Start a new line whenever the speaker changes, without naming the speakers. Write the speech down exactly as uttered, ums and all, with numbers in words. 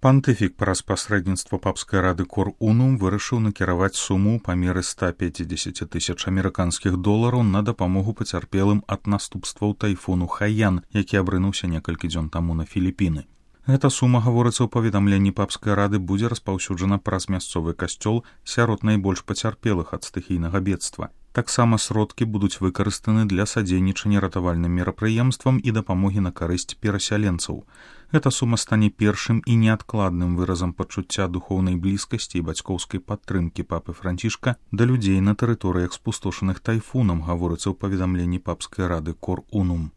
Пантыфік праз пасрэдніцтва папскай рады Кор Унум вырашыў накіраваць суму ў памеры ста пяцідзесяці тысяч амерыканскіх долараў на дапамогу пацярпелым ад наступстваў тайфуну Хаян, які абрынуўся некалькі дзён таму на Філіпіны. Гэта сума, гаворыцца ў паведамленні папскай рады, будзе распаўсюджана праз мясцовы касцёл сярод найбольш пацярпелых ад стыхійнага бедства. Таксама сродкі будуць выкарыстаны для садзейнічання ратавальным мерапрыемствам і дапамогі на карысць перасяленцаў. Гэта сума стане першым і неадкладным выразам пачуцця духоўнай блізкасці і бацькоўскай падтрымкі папы Францішка да людзей на тэрыторыях спустошаных тайфунам, гаворыцца ў паведамленні папскай рады Кор Унум.